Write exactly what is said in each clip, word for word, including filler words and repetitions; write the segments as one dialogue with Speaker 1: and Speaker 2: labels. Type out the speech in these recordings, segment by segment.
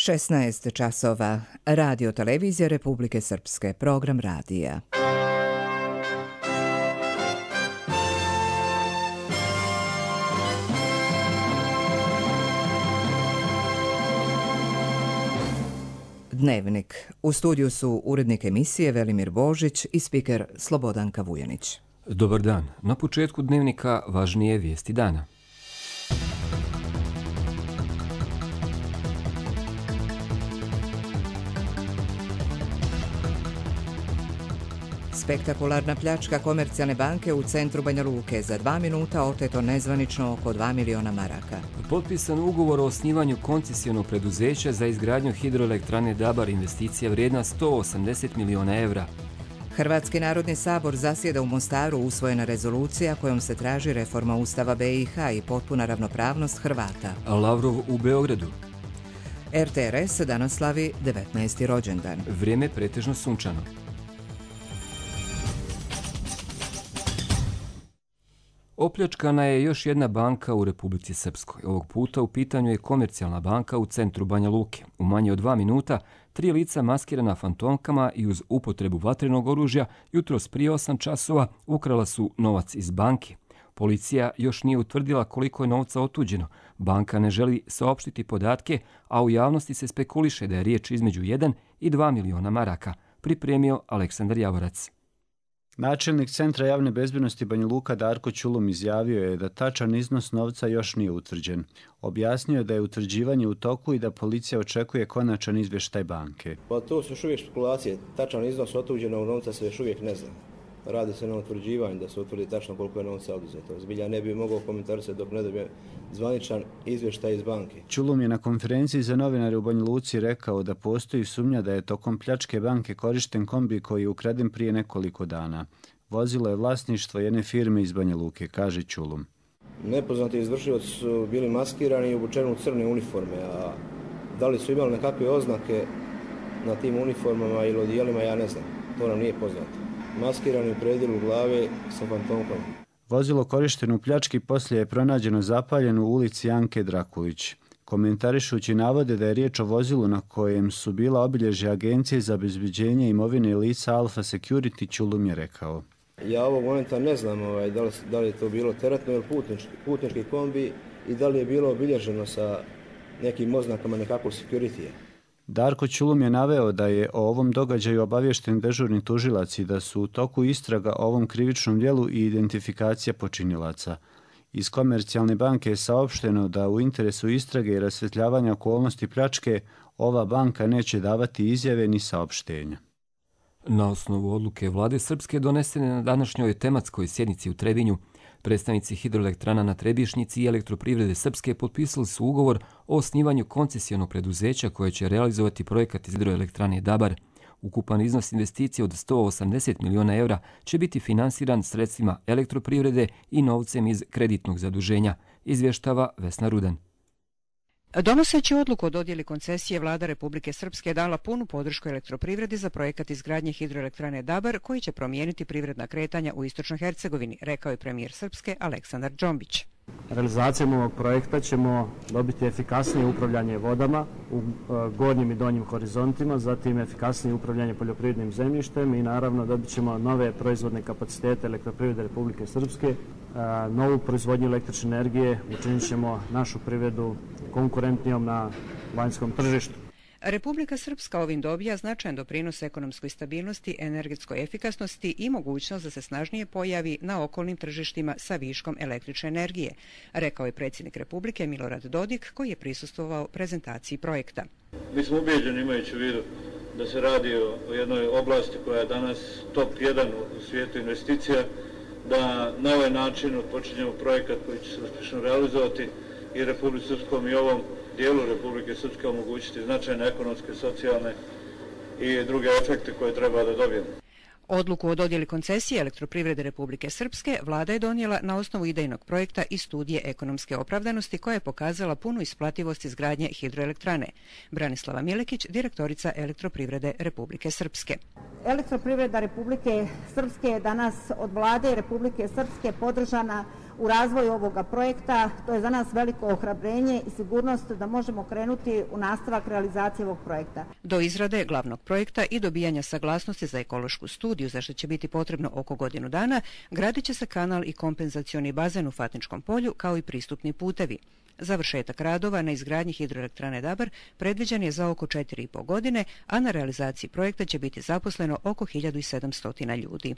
Speaker 1: šesnaest časova. Radio televizija Republike Srpske. Program radija. Dnevnik. U studiju su urednik emisije Velimir Božić i spiker Slobodanka Vujanić.
Speaker 2: Dobar dan. Na početku dnevnika važnije vijesti dana.
Speaker 1: Spektakularna pljačka Komercijalne banke u centru Banja Luke. Za dva minuta oteto nezvanično oko dva miliona maraka.
Speaker 2: Potpisan ugovor o osnivanju koncesijonog preduzeća za izgradnju hidroelektrane Dabar, investicija vrijedna sto osamdeset miliona evra.
Speaker 1: Hrvatski narodni sabor zasjeda u Mostaru, usvojena rezolucija kojom se traži reforma Ustava B i H i potpuna ravnopravnost Hrvata.
Speaker 2: Lavrov u Beogradu.
Speaker 1: R T R S danas slavi devetnaesti rođendan.
Speaker 2: Vrijeme pretežno sunčano. Opljačkana je još jedna banka u Republici Srpskoj. Ovog puta u pitanju je Komercijalna banka u centru Banja Luke. U manje od dva minuta, tri lica maskirana fantomkama i uz upotrebu vatrenog oružja jutros prije osam časova ukrala su novac iz banke. Policija još nije utvrdila koliko je novca otuđeno. Banka ne želi saopštiti podatke, a u javnosti se spekuliše da je riječ između jedan i dva miliona maraka. Pripremio Aleksandar Javorac.
Speaker 3: Načelnik Centra javne bezbednosti Banja Luka Darko Ćulum izjavio je da tačan iznos novca još nije utvrđen. Objasnio je da je utvrđivanje u toku i da policija očekuje konačan izvještaj banke.
Speaker 4: Pa to su još uvijek spekulacije. Tačan iznos otuđenog novca se još uvijek ne zna. Radi se na utvrđivanju da se utvrdi tačno koliko je novca oduzeto. Zbilja ne bi mogao komentarisati dok ne dobije zvaničan izvještaj iz banke.
Speaker 3: Ćulum je na konferenciji za novinare u Banja Luci rekao da postoji sumnja da je tokom pljačke banke korišten kombi koji je ukraden prije nekoliko dana. Vozilo je vlasništvo jedne firme iz Banja Luke, kaže Ćulum.
Speaker 4: Nepoznati izvršioci su bili maskirani i obučeni u crne uniforme, a da li su imali nekakve oznake na tim uniformama ili odijelima, ja ne znam. To nam nije poznato. Maskirani u predjelu glave sa fantomkom.
Speaker 3: Vozilo korišteno u pljački poslije je pronađeno zapaljeno u ulici Janke Drakulić. Komentarišući navode da je riječ o vozilu na kojem su bila obilježja Agencije za obezbeđenje imovine lica Alfa Security, Ćulum je rekao.
Speaker 4: Ja ovog momenta ne znam ovaj, da, li, da li je to bilo teretno ili putnički, putnički kombi i da li je bilo obilježeno sa nekim oznakama nekakvog security-a.
Speaker 3: Darko Ćulum je naveo da je o ovom događaju obaviješten dežurni tužilac i da su u toku istraga o ovom krivičnom djelu i identifikacija počinilaca. Iz Komercijalne banke je saopšteno da u interesu istrage i rasvjetljavanja okolnosti pljačke ova banka neće davati izjave ni saopštenja.
Speaker 2: Na osnovu odluke vlade Srpske donesene na današnjoj tematskoj sjednici u Trebinju, predstavnici hidroelektrana na Trebišnjici i Elektroprivrede Srpske potpisali su ugovor o osnivanju koncesijonog preduzeća koje će realizovati projekat iz hidroelektrane Dabar. Ukupan iznos investicije od sto osamdeset miliona evra će biti finansiran sredstvima Elektroprivrede i novcem iz kreditnog zaduženja, izvještava Vesna Rudan.
Speaker 5: Donoseći odluku o dodjeli koncesije, vlada Republike Srpske dala punu podršku Elektroprivredi za projekat izgradnje hidroelektrane Dabar koji će promijeniti privredna kretanja u istočnoj Hercegovini, rekao je premijer Srpske Aleksandar Džombić.
Speaker 6: Realizacijom ovog projekta ćemo dobiti efikasnije upravljanje vodama u gornjim i donjim horizontima, zatim efikasnije upravljanje poljoprivrednim zemljištem i naravno dobit ćemo nove proizvodne kapacitete Elektroprivrede Republike Srpske, novu proizvodnju električne energije, učinit ćemo našu privredu konkurentnijom na vanjskom tržištu.
Speaker 5: Republika Srpska ovim dobija značajan doprinos ekonomskoj stabilnosti, energetskoj efikasnosti i mogućnost da se snažnije pojavi na okolnim tržištima sa viškom električne energije, rekao je predsjednik Republike Milorad Dodik koji je prisustvovao prezentaciji projekta.
Speaker 7: Mi smo ubeđeni, imajući u vidu da se radi o jednoj oblasti koja je danas top jedan u svijetu investicija, da na ovaj način odpočinjemo projekat koji će se uspješno realizovati i Republici Srpskom i ovom dijelu Republike Srpske omogućiti značajne ekonomske, socijalne i druge efekte koje treba da dobijemo.
Speaker 5: Odluku o dodjeli koncesije Elektroprivrede Republike Srpske vlada je donijela na osnovu idejnog projekta i studije ekonomske opravdanosti koja je pokazala punu isplativost izgradnje hidroelektrane. Branislava Milekić, direktorica Elektroprivrede Republike Srpske.
Speaker 8: Elektroprivreda Republike Srpske je danas od vlade Republike Srpske podržana u razvoju ovoga projekta. To je za nas veliko ohrabrenje i sigurnost da možemo krenuti u nastavak realizacije ovog projekta.
Speaker 5: Do izrade glavnog projekta i dobijanja saglasnosti za ekološku studiju, za što će biti potrebno oko godinu dana, gradit će se kanal i kompenzacioni bazen u Fatničkom polju, kao i pristupni putevi. Završetak radova na izgradnji hidroelektrane Dabar predviđen je za oko četiri i po godine, a na realizaciji projekta će biti zaposleno oko hiljadu sedamsto ljudi.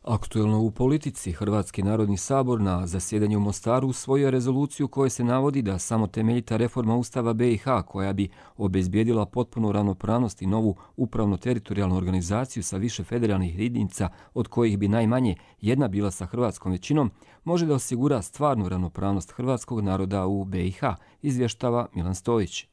Speaker 2: Aktuelno u politici, Hrvatski narodni sabor na zasjedanju u Mostaru usvojio je rezoluciju kojoj se navodi da samo temeljita reforma Ustava be i ha, koja bi obezbijedila potpunu ravnopravnost i novu upravno-teritorijalnu organizaciju sa više federalnih jedinica, od kojih bi najmanje jedna bila sa hrvatskom većinom, može da osigura stvarnu ravnopravnost hrvatskog naroda u be i ha, izvještava Milan Stojić.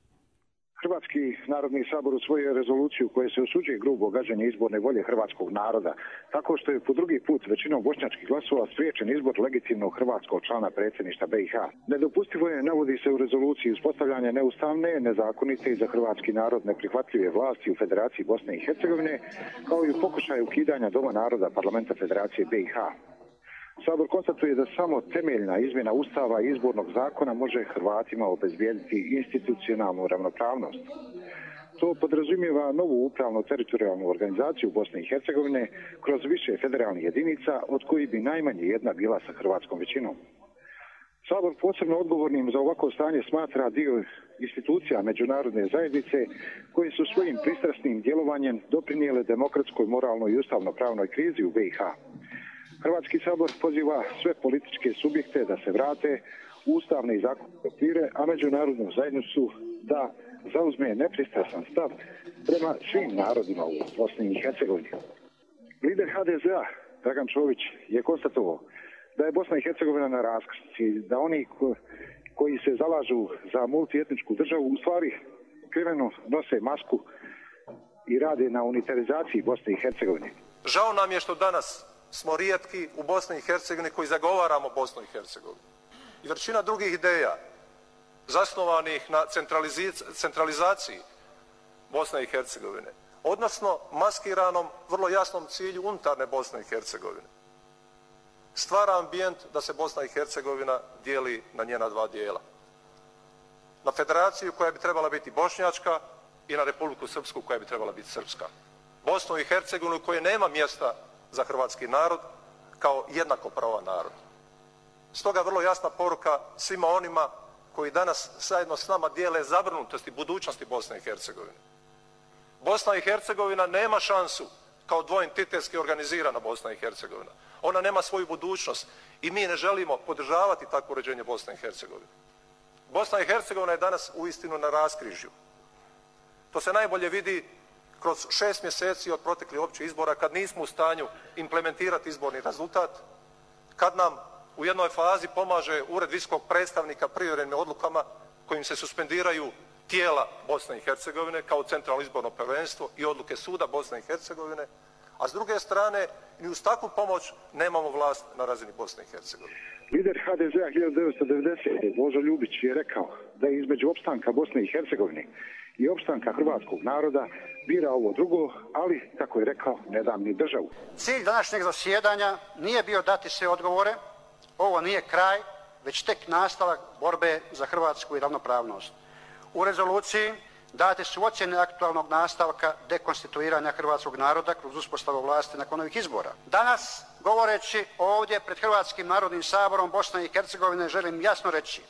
Speaker 9: Hrvatski narodni sabor usvojio rezoluciju koje se osuđuje grubo gaženje izborne volje hrvatskog naroda, tako što je po drugi put većinom bošnjačkih glasova spriječen izbor legitimnog hrvatskog člana predsjedništva be i ha. Nedopustivo je, navodi se u rezoluciji, uspostavljanje neustavne, nezakonite i za hrvatski narod neprihvatljive vlasti u Federaciji Bosne i Hercegovine, kao i u pokušaju ukidanja Doma naroda Parlamenta Federacije be i ha. Sabor konstatuje da samo temeljna izmjena Ustava i izbornog zakona može Hrvatima obezbijediti institucionalnu ravnopravnost. To podrazumijeva novu upravno teritorijalnu organizaciju Bosne i Hercegovine kroz više federalnih jedinica, od kojih bi najmanje jedna bila sa hrvatskom većinom. Sabor posebno odgovornim za ovako stanje smatra dio institucija međunarodne zajednice koje su svojim pristrasnim djelovanjem doprinijele demokratskoj, moralnoj i ustavno-pravnoj krizi u be i ha. Hrvatski sabor poziva sve političke subjekte da se vrate u ustavne i zakonske okvire, a međunarodnu zajednicu da zauzme nepristrasan stav prema svim narodima u Bosni i Hercegovini. Lider ha de zea Dragan Čović je konstatovao da je Bosna i Hercegovina na raskrsnici, da oni koji se zalažu za multietničku državu u stvari kriveno nose masku i rade na unitarizaciji Bosne i Hercegovine.
Speaker 10: Žao nam je što danas smo rijetki u Bosni i Hercegovini koji zagovaramo Bosnu i Hercegovinu. I većina drugih ideja zasnovanih na centralizaciji Bosne i Hercegovine, odnosno maskiranom, vrlo jasnom cilju unutarnje Bosne i Hercegovine, stvara ambijent da se Bosna i Hercegovina dijeli na njena dva dijela. Na federaciju koja bi trebala biti bošnjačka i na Republiku Srpsku koja bi trebala biti srpska. Bosnu i Hercegovinu koje nema mjesta za hrvatski narod kao jednakopravan narod. Stoga vrlo jasna poruka svima onima koji danas zajedno s nama dijele zabrinutosti budućnosti Bosne i Hercegovine. Bosna i Hercegovina nema šansu kao dvoentitetski organizirana Bosna i Hercegovina. Ona nema svoju budućnost i mi ne želimo podržavati takvo uređenje Bosne i Hercegovine. Bosna i Hercegovina je danas uistinu na raskrižju. To se najbolje vidi kroz šest mjeseci od proteklih općih izbora, kad nismo u stanju implementirati izborni rezultat, kad nam u jednoj fazi pomaže Ured visokog predstavnika privremenim odlukama kojim se suspendiraju tijela Bosne i Hercegovine kao centralno izborno povjerenstvo i odluke suda Bosne i Hercegovine, a s druge strane ni uz takvu pomoć nemamo vlast na razini Bosne i Hercegovine.
Speaker 9: Lider ha de zea hiljadu devetsto devedesete. Božo Ljubić je rekao da je između opstanka Bosne i Hercegovine i opstanka hrvatskog naroda bira ovo drugo, ali, kako je rekao, ne dam ni državu.
Speaker 11: Cilj današnjeg zasjedanja nije bio dati sve odgovore, ovo nije kraj, već tek nastavak borbe za Hrvatsku i ravnopravnost. U rezoluciji date su ocjene aktualnog nastavka dekonstituiranja hrvatskog naroda kroz uspostavu vlasti nakon ovih izbora. Danas, govoreći ovdje pred Hrvatskim narodnim saborom Bosne i Hercegovine, želim jasno reći: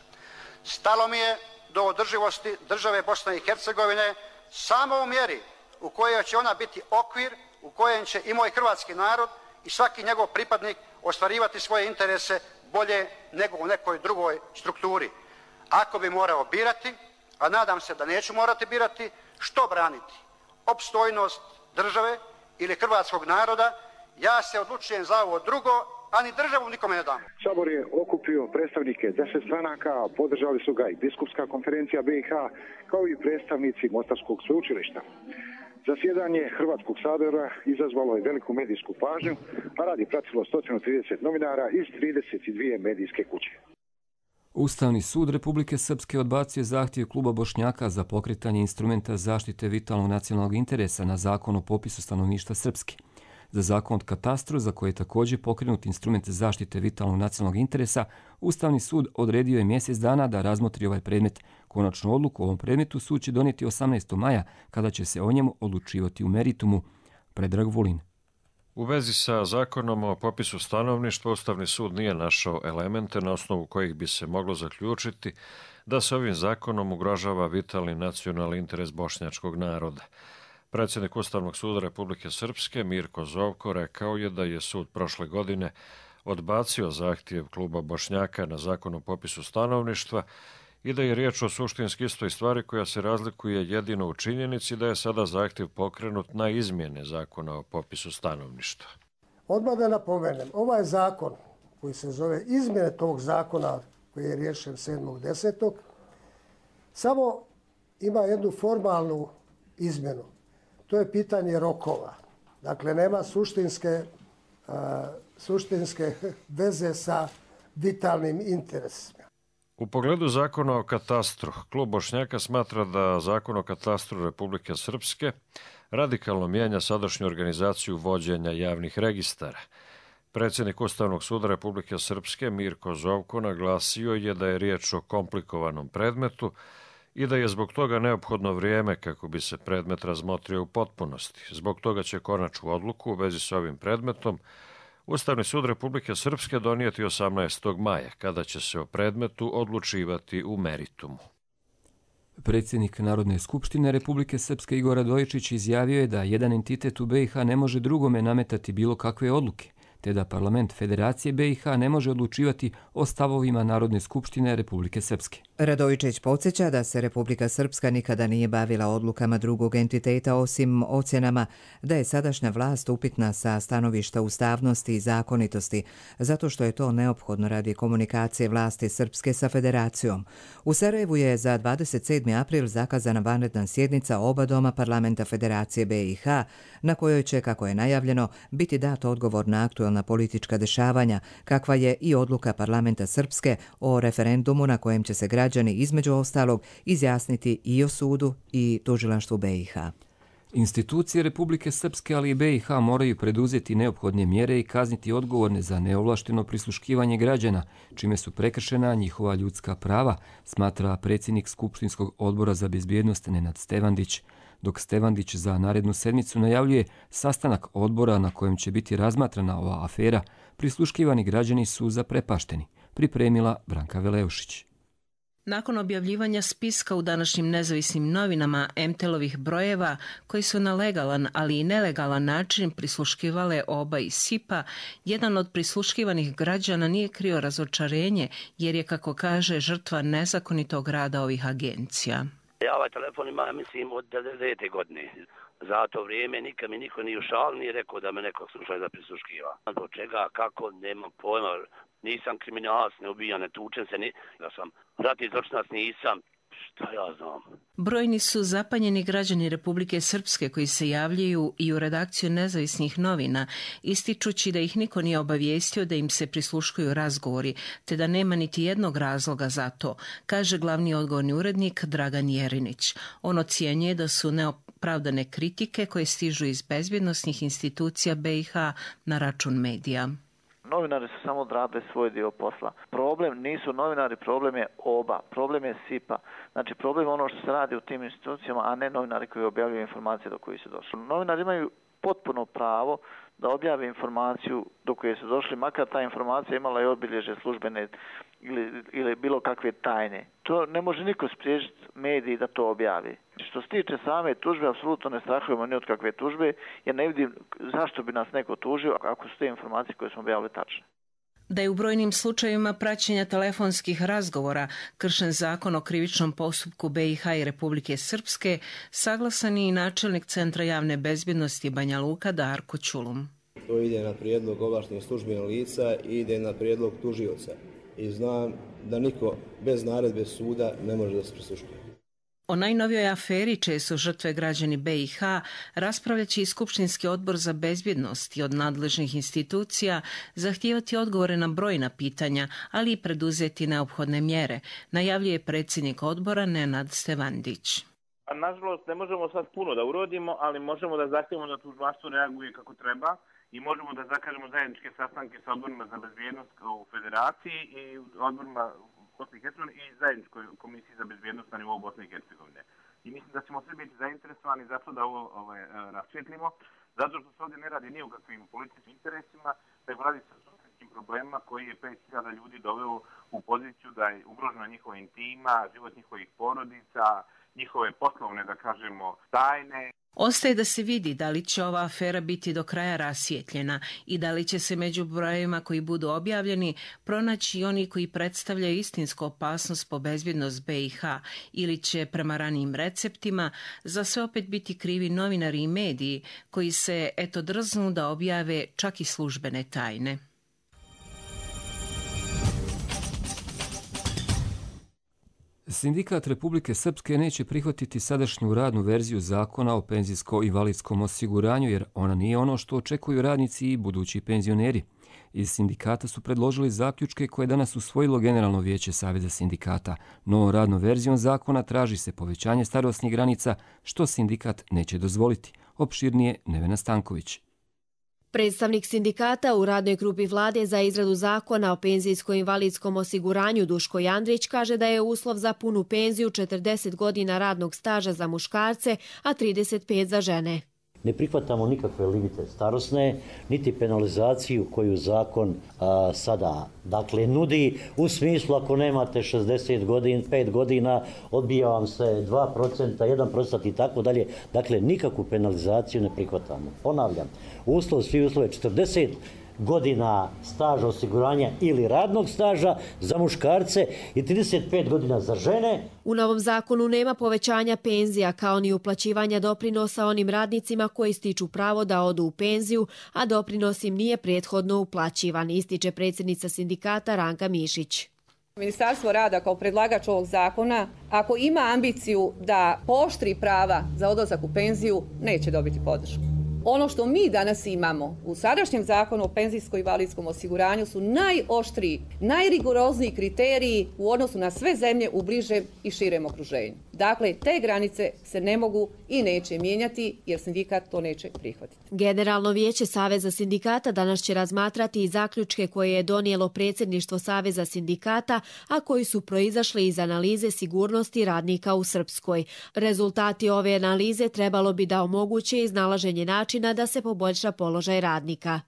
Speaker 11: stalo mi je do održivosti države Bosne i Hercegovine samo u mjeri u kojoj će ona biti okvir u kojem će i moj hrvatski narod i svaki njegov pripadnik ostvarivati svoje interese bolje nego u nekoj drugoj strukturi. Ako bi morao birati, a nadam se da neću morati birati, što braniti? Opstojnost države ili hrvatskog naroda? Ja se odlučujem za ovo drugo, a ni državu nikome ne dam.
Speaker 9: Sabor je okupio predstavnike deset stranaka, podržali su ga i Biskupska konferencija be i ha, kao i predstavnici Mostarskog sveučilišta. Zasjedanje Hrvatskog sabora izazvalo je veliku medijsku pažnju, a rad je pratilo sto trideset novinara iz trideset dvije medijske kuće.
Speaker 2: Ustavni sud Republike Srpske odbacio zahtjev kluba Bošnjaka za pokretanje instrumenta zaštite vitalnog nacionalnog interesa na zakon o popisu stanovništva Srpske. Za zakon o katastru, za koje je također pokrenut instrument zaštite vitalnog nacionalnog interesa, Ustavni sud odredio je mjesec dana da razmotri ovaj predmet. Konačnu odluku o ovom predmetu sud će donijeti osamnaestog maja, kada će se o njemu odlučivati u meritumu. Predrag Vulin.
Speaker 12: U vezi sa zakonom o popisu stanovništva, Ustavni sud nije našao elemente na osnovu kojih bi se moglo zaključiti da se ovim zakonom ugrožava vitalni nacionalni interes bošnjačkog naroda. Predsjednik Ustavnog suda Republike Srpske Mirko Zovko rekao je da je sud prošle godine odbacio zahtjev kluba Bošnjaka na zakon o popisu stanovništva i da je riječ o suštinski istoj stvari koja se razlikuje jedino u činjenici da je sada zahtjev pokrenut na izmjene zakona o popisu stanovništva.
Speaker 13: Odmah da napomenem, ovaj zakon koji se zove izmjene tog zakona koji je riješen sedmog desetog samo ima jednu formalnu izmjenu. To je pitanje rokova. Dakle, nema suštinske, uh, suštinske veze sa vitalnim interesima.
Speaker 12: U pogledu zakona o katastru, klub Bošnjaka smatra da zakon o katastru Republike Srpske radikalno mijenja sadašnju organizaciju vođenja javnih registara. Predsjednik Ustavnog suda Republike Srpske Mirko Zovko naglasio je da je riječ o komplikovanom predmetu i da je zbog toga neophodno vrijeme kako bi se predmet razmotrio u potpunosti. Zbog toga će konačnu odluku u vezi s ovim predmetom Ustavni sud Republike Srpske donijeti osamnaestog maja, kada će se o predmetu odlučivati u meritumu.
Speaker 2: Predsjednik Narodne skupštine Republike Srpske Igor Radojičić izjavio je da jedan entitet u B i H ne može drugome nametati bilo kakve odluke, te da parlament Federacije B i H ne može odlučivati o stavovima Narodne skupštine Republike Srpske.
Speaker 1: Radojičić podsjeća da se Republika Srpska nikada nije bavila odlukama drugog entiteta osim ocjenama da je sadašnja vlast upitna sa stanovišta ustavnosti i zakonitosti, zato što je to neophodno radi komunikacije vlasti Srpske sa Federacijom. U Sarajevu je za dvadeset sedmi april zakazana vanredna sjednica oba doma parlamenta Federacije B i H, na kojoj će, kako je najavljeno, biti dat odgovor na aktuelna politička dešavanja, kakva je i odluka parlamenta Srpske o referendumu na kojem će se građani građani između ostalog izjasniti i o sudu i tužilaštvu B i H.
Speaker 2: Institucije Republike Srpske, ali i B i H moraju preduzeti neophodne mjere i kazniti odgovorne za neovlašteno prisluškivanje građana, čime su prekršena njihova ljudska prava, smatra predsjednik Skupštinskog odbora za bezbjednost Nenad Stevandić. Dok Stevandić za narednu sedmicu najavljuje sastanak odbora na kojem će biti razmatrana ova afera, prisluškivani građani su zaprepašteni, pripremila Branka Veleušić.
Speaker 14: Nakon objavljivanja spiska u današnjim nezavisnim novinama em te el-ovih brojeva, koji su na legalan, ali i nelegalan način prisluškivale oba iz S I P-a, jedan od prisluškivanih građana nije krio razočarenje, jer je, kako kaže, žrtva nezakonitog rada ovih agencija.
Speaker 15: Ja ovaj telefon imam, mislim, od devedesete godine. Za to vrijeme nikad mi niko nije ušao, nije rekao da me nekog slušaju da prisluškiva. Zbog čega, kako, nemam pojma. Nisam kriminalac, ne ubijam, ne tučem se, ni, da sam ratni zločinac, nisam, šta ja znam.
Speaker 14: Brojni su zapanjeni građani Republike Srpske koji se javljaju i u redakciju nezavisnih novina, ističući da ih niko nije obavijestio da im se prisluškuju razgovori, te da nema niti jednog razloga za to, kaže glavni odgovorni urednik Dragan Jerinić. On ocjenjuje da su neopravdane kritike koje stižu iz bezbjednosnih institucija B i H na račun medija.
Speaker 16: Novinari su samo odradili svoj dio posla. Problem nisu novinari, problem je oba. Problem je S I P-a. Znači problem je ono što se radi u tim institucijama, a ne novinari koji objavljuju informacije do kojih su došli. Novinari imaju potpuno pravo da objave informaciju do koje su došli, makar ta informacija imala i obilježje službene ili, ili bilo kakve tajne. To ne može niko spriječiti mediji da to objavi. Što se tiče same tužbe, apsolutno ne strahujemo ni od kakve tužbe, jer ne vidim zašto bi nas neko tužio ako su te informacije koje smo objavili tačne.
Speaker 14: Da je u brojnim slučajevima praćenja telefonskih razgovora kršen zakon o krivičnom postupku B i H i Republike Srpske, saglasan je i načelnik Centra javne bezbjednosti Banja Luka Darko Ćulum.
Speaker 4: To ide na prijedlog ovlaštenih službenih lica i ide na prijedlog tužioca. I znam da niko bez naredbe suda ne može da se prisluškuje.
Speaker 14: O najnovijoj aferi, čije su žrtve građani B i H, raspravljaće i Skupštinski odbor za bezbjednost i od nadležnih institucija zahtijevati odgovore na brojna pitanja, ali i preduzeti neophodne mjere, najavljuje predsjednik odbora Nenad Stevandić.
Speaker 17: Nažalost, ne možemo sad puno da urodimo, ali možemo da zahtijevamo da tužilaštvo reaguje kako treba i možemo da zakažemo zajedničke sastanke sa odborima za bezbjednost u Federaciji i odborima Bosne i Hercegovine i zajedničkoj komisiji za bezbjednost na nivou Bosne i Hercegovine. I mislim da ćemo svi biti zainteresovani zato da ovo ovaj, rasvjetlimo, zato što se ovdje ne radi ni o kakvim političkim interesima, nego radi se o suštinskim problemima koji je pet hiljada ljudi doveo u poziciju da je ugrožena njihova intima, život njihovih porodica, njihove poslovne, da kažemo, tajne.
Speaker 14: Ostaje da se vidi da li će ova afera biti do kraja rasvijetljena i da li će se među brojevima koji budu objavljeni pronaći oni koji predstavljaju istinsku opasnost po bezbjednost B i H ili će prema ranijim receptima za sve opet biti krivi novinari i mediji koji se eto drznu da objave čak i službene tajne.
Speaker 2: Sindikat Republike Srpske neće prihvatiti sadašnju radnu verziju zakona o penzijsko-invalidskom osiguranju jer ona nije ono što očekuju radnici i budući penzioneri. Iz sindikata su predložili zaključke koje je danas usvojilo Generalno vijeće Saveza sindikata. Novom radnom verzijom zakona traži se povećanje starosnih granica, što sindikat neće dozvoliti. Opširnije Nevena Stanković.
Speaker 18: Predstavnik sindikata u radnoj grupi vlade za izradu zakona o penzijsko-invalidskom osiguranju Duško Jandrić kaže da je uslov za punu penziju četrdeset godina radnog staža za muškarce, a trideset pet za žene.
Speaker 19: Ne prihvatamo nikakve limite starosne, niti penalizaciju koju zakon a, sada dakle, nudi. U smislu ako nemate šezdeset godina, pet godina, odbija vam se dva procenta, jedan procent i tako dalje. Dakle, nikakvu penalizaciju ne prihvatamo. Ponavljam, uslov, svi uslove četrdeset godina staža osiguranja ili radnog staža za muškarce i trideset pet godina za žene.
Speaker 18: U novom zakonu nema povećanja penzija kao ni uplaćivanja doprinosa onim radnicima koji stiču pravo da odu u penziju, a doprinos im nije prethodno uplaćivan, ističe predsjednica sindikata Ranka Mišić.
Speaker 20: Ministarstvo rada kao predlagač ovog zakona, ako ima ambiciju da pooštri prava za odlazak u penziju, neće dobiti podršku. Ono što mi danas imamo u sadašnjem zakonu o penzijsko-invalidskom osiguranju su najoštriji, najrigorozniji kriteriji u odnosu na sve zemlje u bližem i širem okruženju. Dakle, te granice se ne mogu i neće mijenjati jer sindikat to neće prihvatiti.
Speaker 18: Generalno vijeće Saveza sindikata danas će razmatrati i zaključke koje je donijelo predsjedništvo Saveza sindikata, a koji su proizašli iz analize sigurnosti radnika u Srpskoj. Rezultati ove analize trebalo bi da omoguće iznalaženje načina da se poboljša položaj radnika.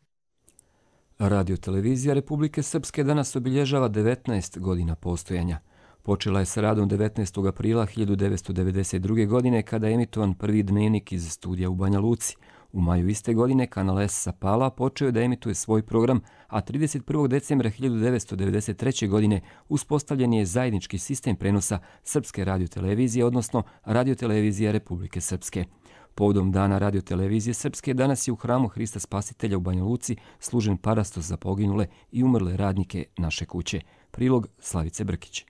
Speaker 2: Radio televizija Republike Srpske danas obilježava devetnaest godina postojanja. Počela je sa radom devetnaestog aprila hiljadu devetsto devedeset druge. godine kada je emitovan prvi dnevnik iz studija u Banja Luci. U maju iste godine kanal S sa Pala počeo je da emituje svoj program, a trideset prvog decembra hiljadu devetsto devedeset treće. godine uspostavljen je zajednički sistem prenosa Srpske radiotelevizije, odnosno Radiotelevizija Republike Srpske. Povodom dana radiotelevizije Srpske danas je u hramu Hrista Spasitelja u Banja Luci služen parastos za poginule i umrle radnike naše kuće. Prilog Slavice Brkić.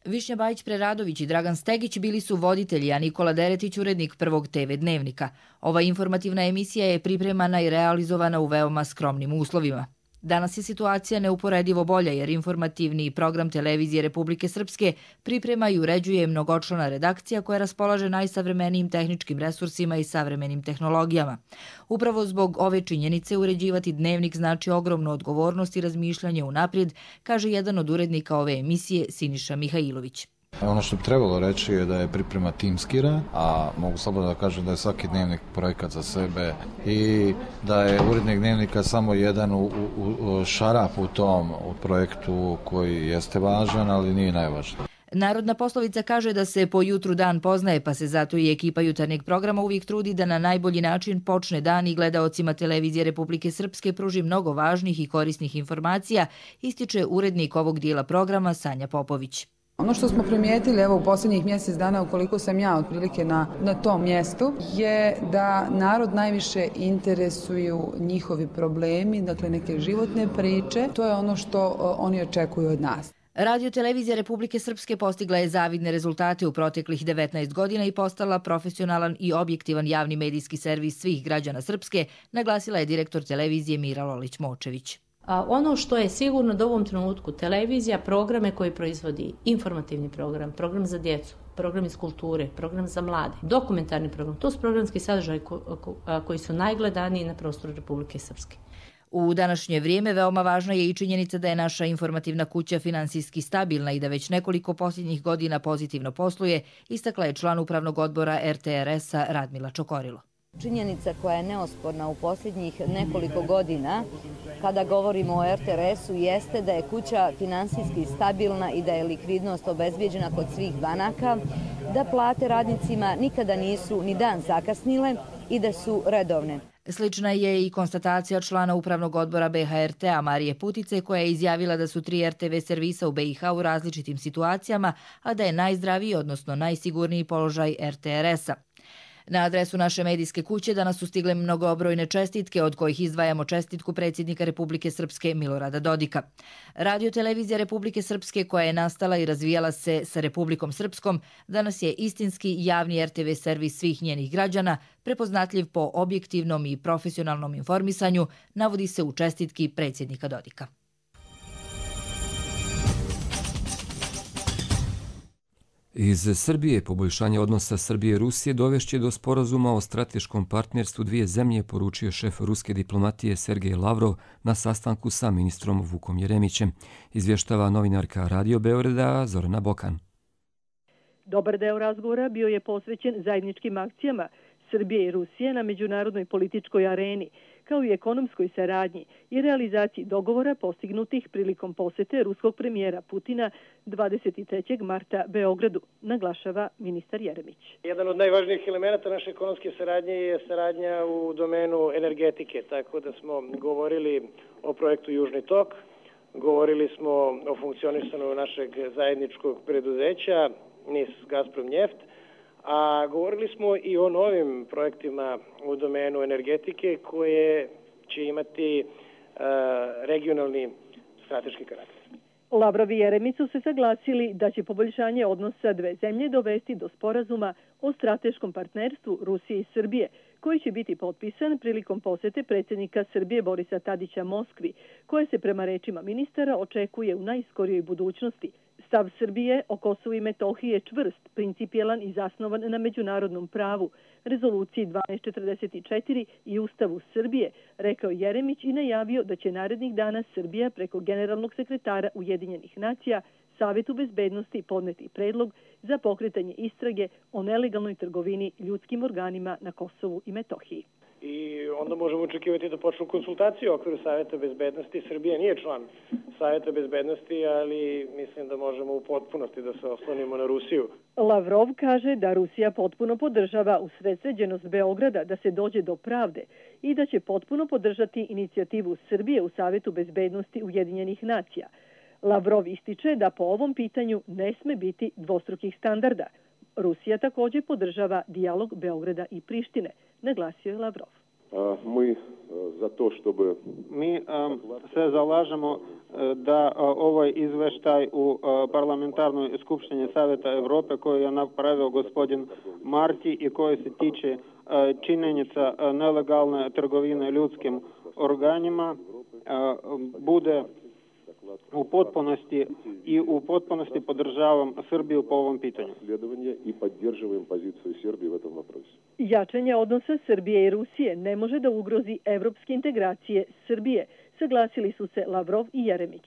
Speaker 21: Višnja Bajić-Preradović i Dragan Stegić bili su voditelji, a Nikola Deretić urednik prvog te ve dnevnika. Ova informativna emisija je pripremana i realizovana u veoma skromnim uslovima. Danas je situacija neuporedivo bolja jer informativni program televizije Republike Srpske priprema i uređuje mnogočlana redakcija koja raspolaže najsavremenijim tehničkim resursima i savremenim tehnologijama. Upravo zbog ove činjenice uređivati dnevnik znači ogromnu odgovornost i razmišljanje unaprijed, kaže jedan od urednika ove emisije Siniša Mihajlović.
Speaker 22: Ono što bi trebalo reći je da je priprema timski rad, a mogu slobodno da kažem da je svaki dnevnik projekat za sebe i da je urednik dnevnika samo jedan u, u, u šarap u tom u projektu koji jeste važan, ali nije najvažniji.
Speaker 21: Narodna poslovica kaže da se po jutru dan poznaje, pa se zato i ekipa jutarnjeg programa uvijek trudi da na najbolji način počne dan i gledaocima televizije Republike Srpske pruži mnogo važnih i korisnih informacija, ističe urednik ovog dijela programa Sanja Popović.
Speaker 23: Ono što smo primijetili evo u posljednjih mjesec dana, ukoliko sam ja otprilike na, na tom mjestu, je da narod najviše interesuju njihovi problemi, dakle neke životne priče. To je ono što oni očekuju od nas.
Speaker 21: Radiotelevizija Republike Srpske postigla je zavidne rezultate u proteklih devetnaest godina i postala profesionalan i objektivan javni medijski servis svih građana Srpske, naglasila je direktor televizije Mira Lolić-Močević.
Speaker 24: A ono što je sigurno da u ovom trenutku televizija, programe koji proizvodi informativni program, program za djecu,
Speaker 3: program iz kulture, program za mlade, dokumentarni program. To su programski sadržaji koji su najgledaniji na prostoru Republike Srpske.
Speaker 21: U današnje vrijeme veoma važna je i činjenica da je naša informativna kuća finansijski stabilna i da već nekoliko posljednjih godina pozitivno posluje, istakla je član upravnog odbora er te er es-a Radmila Čokorilo.
Speaker 6: Činjenica koja je neosporna u posljednjih nekoliko godina kada govorimo o er te er es-u jeste da je kuća finansijski stabilna i da je likvidnost obezbijeđena kod svih banaka, da plate radnicima nikada nisu ni dan zakasnile i da su redovne.
Speaker 21: Slična je i konstatacija člana upravnog odbora be ha er te-a Marije Putice, koja je izjavila da su tri er te ve servisa u be i ha u različitim situacijama, a da je najzdraviji, odnosno najsigurniji položaj er te er es-a. Na adresu naše medijske kuće danas su stigle mnogobrojne čestitke, od kojih izdvajamo čestitku predsjednika Republike Srpske Milorada Dodika. Radio-televizija Republike Srpske, koja je nastala i razvijala se sa Republikom Srpskom, danas je istinski javni er te ve servis svih njenih građana, prepoznatljiv po objektivnom i profesionalnom informisanju, navodi se u čestitki predsjednika Dodika.
Speaker 2: Iz Srbije poboljšanje odnosa Srbije i Rusije dovešće do sporazuma o strateškom partnerstvu dvije zemlje, poručio šef ruske diplomatije Sergej Lavrov na sastanku sa ministrom Vukom Jeremićem, izvještava novinarka Radio Beograda Zorana Bokan.
Speaker 7: Dobar deo razgovora bio je posvećen zajedničkim akcijama Srbije i Rusije na međunarodnoj političkoj areni, kao i ekonomskoj saradnji i realizaciji dogovora postignutih prilikom posete ruskog premijera Putina dvadeset trećeg marta Beogradu, naglašava ministar Jeremić.
Speaker 24: Jedan od najvažnijih elemenata naše ekonomske saradnje je saradnja u domenu energetike, tako da smo govorili o projektu Južni tok, govorili smo o funkcionisanju našeg zajedničkog preduzeća NIS Gazprom Njeft, a govorili smo i o novim projektima u domenu energetike koje će imati uh, regionalni strateški karakter.
Speaker 7: Lavrov i Jeremić su se saglasili da će poboljšanje odnosa dve zemlje dovesti do sporazuma o strateškom partnerstvu Rusije i Srbije, koji će biti potpisan prilikom posete predsjednika Srbije Borisa Tadića Moskvi, koje se prema rečima ministara očekuje u najskorijoj budućnosti. Stav Srbije o Kosovu i Metohiji je čvrst, principijelan i zasnovan na međunarodnom pravu, rezoluciji dvanaest četrdeset četiri i Ustavu Srbije, rekao Jeremić i najavio da će narednih dana Srbija preko generalnog sekretara Ujedinjenih nacija Savetu bezbednosti podneti predlog za pokretanje istrage o nelegalnoj trgovini ljudskim organima na Kosovu i Metohiji.
Speaker 24: I onda možemo očekivati da počnu konsultacije u okviru Saveta bezbednosti. Srbija nije član Saveta bezbednosti, ali mislim da možemo u potpunosti da se oslonimo na Rusiju.
Speaker 7: Lavrov kaže da Rusija potpuno podržava usredsređenost Beograda da se dođe do pravde i da će potpuno podržati inicijativu Srbije u Savetu bezbednosti Ujedinjenih nacija. Lavrov ističe da po ovom pitanju ne sme biti dvostrukih standarda. Rusija također podržava dijalog Beograda i Prištine, naglasio je Lavrov.
Speaker 25: Mi za to što bi...
Speaker 26: Mi se zalažemo da ovaj izveštaj u parlamentarnoj skupštini Saveta Evrope koju je napravio gospodin Marti i koji se tiče činjenica nelegalne trgovine ljudskim organima bude u potpunosti i u potpunosti podržavam Srbiju po ovom pitanju.
Speaker 25: I podržavam poziciju Srbije u tom vопросе.
Speaker 7: Jačanje odnosa Srbije i Rusije ne može da ugrozi evropske integracije Srbije, saglasili su se Lavrov i Jeremić.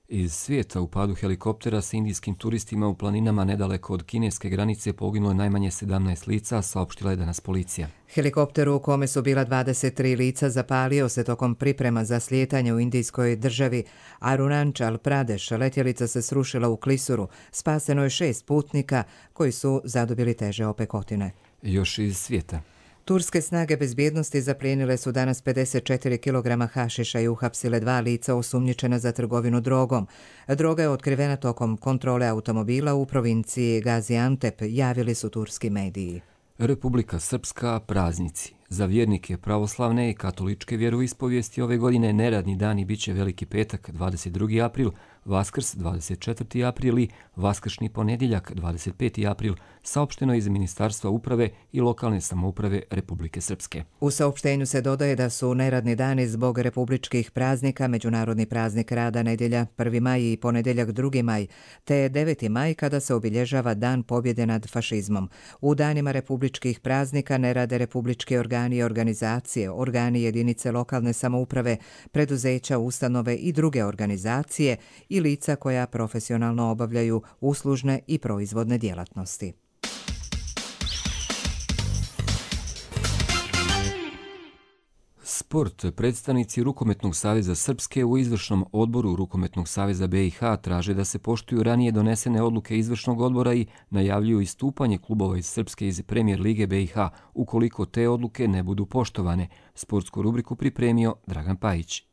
Speaker 2: Iz svijeta u padu helikoptera sa indijskim turistima u planinama nedaleko od kineske granice poginulo je najmanje sedamnaest lica, saopštila je danas policija.
Speaker 1: Helikopter u kome su bila dvadeset tri lica zapalio se tokom priprema za slijetanje u indijskoj državi Arunachal Pradesh. Letjelica se srušila u klisuru. Spaseno je šest putnika koji su zadobili teže opekotine.
Speaker 2: Još iz svijeta.
Speaker 1: Turske snage bezbjednosti zaplijenile su danas pedeset četiri kilograma hašiša i uhapsile dva lica osumnjičena za trgovinu drogom. Droga je otkrivena tokom kontrole automobila u provinciji Gaziantep, javili su turski mediji.
Speaker 2: Republika Srpska praznici. Za vjernike pravoslavne i katoličke vjeroispovijesti ove godine neradni dani biće Veliki petak, dvadeset drugi april, Vaskrs dvadeset četvrti april i Vaskršnji ponedjeljak dvadeset peti april, saopšteno iz Ministarstva uprave i lokalne samouprave Republike Srpske.
Speaker 1: U saopštenju se dodaje da su neradni dani zbog republičkih praznika, međunarodni praznik rada nedjelja prvi maj i ponedjeljak drugi maj, te deveti maj kada se obilježava Dan pobjede nad fašizmom. U danima republičkih praznika ne rade republički organi i organizacije, organi jedinice lokalne samouprave, preduzeća, ustanove i druge organizacije i lica koja profesionalno obavljaju uslužne i proizvodne djelatnosti.
Speaker 2: Sport. Predstavnici Rukometnog saveza Srpske u izvršnom odboru Rukometnog saveza be i ha traže da se poštuju ranije donesene odluke izvršnog odbora i najavljuju istupanje klubova iz Srpske iz Premijer lige be i ha ukoliko te odluke ne budu poštovane. Sportsku rubriku pripremio Dragan Pajić.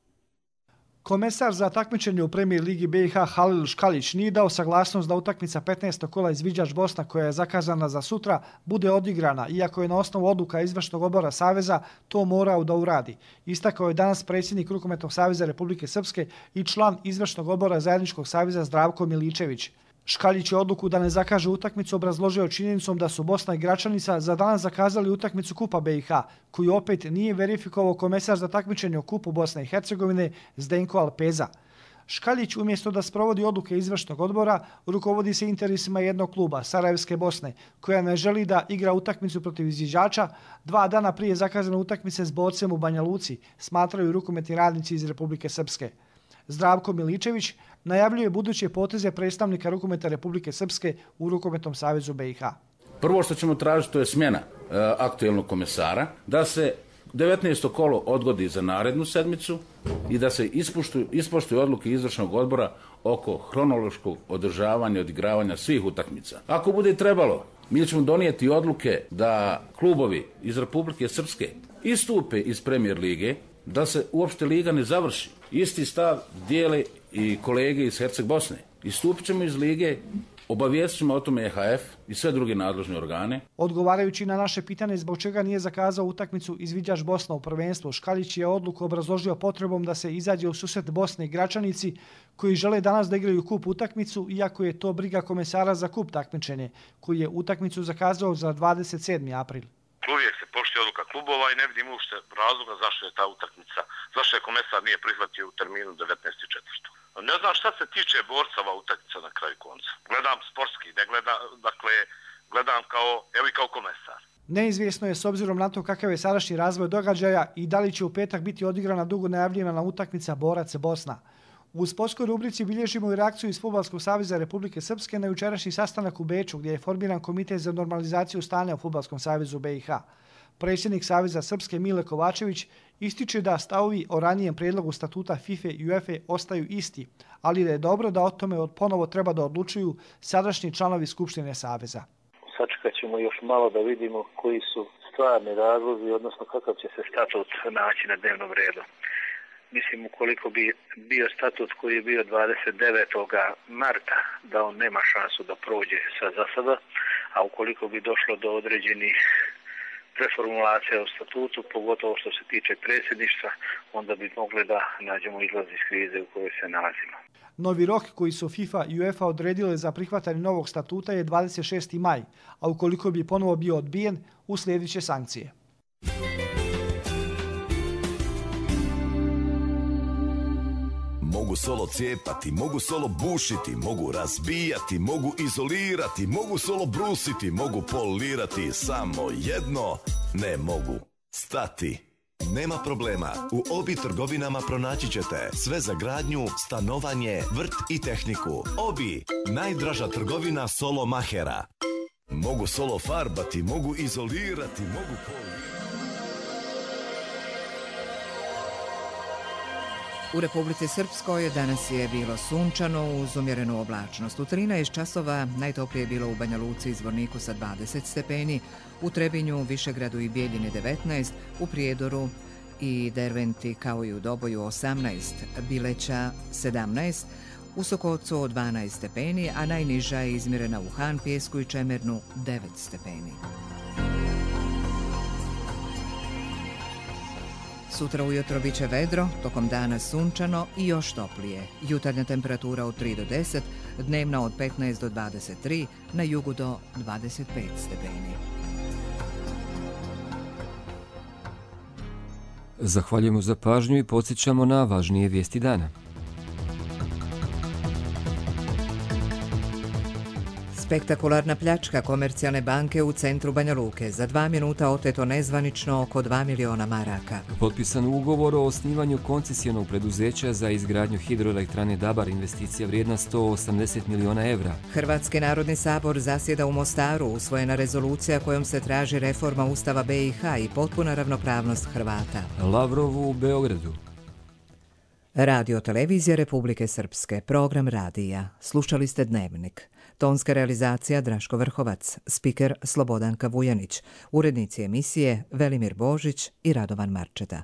Speaker 5: Komesar za takmičenje u Premijer ligi be i ha Halil Škalić nije dao saglasnost da utakmica petnaestog kola Izviđač Bosna, koja je zakazana za sutra, bude odigrana, iako je na osnovu odluka izvršnog odbora Saveza to morao da uradi. Istakao je danas predsjednik Rukometnog saveza Republike Srpske i član izvršnog odbora Zajedničkog saveza Zdravko Miličević. Škaljić je odluku da ne zakaže utakmicu obrazložio činjenicom da su Bosna i Gračanica za danas zakazali utakmicu Kupa be i ha, koju opet nije verifikovao komesar za takmičenje u Kupu Bosne i Hercegovine Zdenko Alpeza. Škaljić umjesto da sprovodi odluke izvršnog odbora, rukovodi se interesima jednog kluba, Sarajevske Bosne, koja ne želi da igra utakmicu protiv izviđača dva dana prije zakazane utakmice s Bocem u Banja Luci, smatraju rukometni radnici iz Republike Srpske. Zdravko Miličević najavljuje buduće poteze predstavnika rukometa Republike Srpske u Rukometnom savezu be i ha.
Speaker 8: Prvo što ćemo tražiti to je smjena e, aktuelnog komesara, da se devetnaesto kolo odgodi za narednu sedmicu i da se ispoštuju, ispoštuju odluke izvršnog odbora oko hronološkog održavanja i odigravanja svih utakmica. Ako bude trebalo, mi ćemo donijeti odluke da klubovi iz Republike Srpske istupe iz Premijer lige, da se uopšte liga ne završi. Isti stav dijele i kolege iz Herceg Bosne. Istupit ćemo iz lige, obavijestit ćemo o tome e ha ef i sve druge nadležne organe.
Speaker 5: Odgovarajući na naše pitanje zbog čega nije zakazao utakmicu Izviđač Bosna u prvenstvu, Škaljić je odluku obrazložio potrebom da se izađe u susret Bosne i Gračanici, koji žele danas da igraju kup utakmicu, iako je to briga komesara za kup takmičenje, koji je utakmicu zakazao za dvadeset sedmi april.
Speaker 9: Uvijek se poštuje odluka klubova i ne vidim uopšte razloga zašto je ta utakmica, zašto je komesar nije prihvatio u terminu devetnaesti četvrti Ne znam šta se tiče borcava utakmica na kraju konca. Gledam sportski, ne gledam, dakle, gledam kao, evo i kao komesar.
Speaker 5: Neizvjesno je s obzirom na to kakav je sadašnji razvoj događaja i da li će u petak biti odigrana dugo najavljena utakmica Borac Bosna. U sportskoj rubrici bilježimo i reakciju iz Fudbalskog saveza Republike Srpske na jučerašnji sastanak u Beču, gdje je formiran komitet za normalizaciju stanja u Fudbalskom savezu be i ha. Predsjednik Saveza Srpske Mile Kovačević ističe da stavovi o ranijem prijedlogu statuta FIFA i UEFA ostaju isti, ali da je dobro da o tome ponovo treba da odlučuju sadašnji članovi Skupštine Saveza.
Speaker 10: Sačekat ćemo još malo da vidimo koji su stvarni razlozi, odnosno kakav će se statut naći na dnevnom redu. Mislim, ukoliko bi bio statut koji je bio dvadeset devetog marta, da on nema šansu da prođe sa zasada, a ukoliko bi došlo do određenih preformulacija u statutu, pogotovo što se tiče predsjedništva, onda bi mogli da nađemo izlaz iz krize u kojoj se nalazimo.
Speaker 5: Novi rok koji su FIFA i UEFA odredile za prihvatanje novog statuta je dvadeset šesti maj, a ukoliko bi ponovo bio odbijen, uslijedit će sankcije.
Speaker 11: Mogu solo cijepati, mogu solo bušiti, mogu razbijati, mogu izolirati, mogu solo brusiti, mogu polirati, samo jedno ne mogu stati. Nema problema, u Obi trgovinama pronaći ćete sve za gradnju, stanovanje, vrt i tehniku. Obi, najdraža trgovina solo mahera. Mogu solo farbati, mogu izolirati, mogu polirati.
Speaker 1: U Republici Srpskoj danas je bilo sunčano uz umjerenu oblačnost. U trinaest časova najtoplije je bilo u Banja Luci i Zvorniku sa dvadeset stepeni, u Trebinju, Višegradu i Bijeljini devetnaest, u Prijedoru i Derventi kao i u Doboju osamnaest, Bileća sedamnaest, u Sokocu dvanaest stepeni, a najniža je izmjerena u Han, Pijesku i Čemernu devet stepeni. Sutra ujutro bit će vedro, tokom dana sunčano i još toplije. Jutarnja temperatura od tri do deset, dnevna od petnaest do dvadeset tri, na jugu do dvadeset pet stepeni.
Speaker 2: Zahvaljujemo za pažnju i podsjećamo na važnije vijesti dana.
Speaker 1: Spektakularna pljačka Komercijalne banke u centru Banja Luke. Za dva minuta oteto nezvanično oko dva miliona maraka.
Speaker 2: Potpisan ugovor o osnivanju koncesijonog preduzeća za izgradnju hidroelektrane Dabar, investicija vrijedna sto osamdeset miliona evra.
Speaker 1: Hrvatski narodni sabor zasjeda u Mostaru, usvojena rezolucija kojom se traži reforma Ustava B i H i potpuna ravnopravnost Hrvata.
Speaker 2: Lavrovu u Beogradu.
Speaker 1: Radio televizija Republike Srpske, program radija. Slušali ste Dnevnik. Tonska realizacija Draško Vrhovac, spiker Slobodanka Vujanić, urednici emisije Velimir Božić i Radovan Marčeta.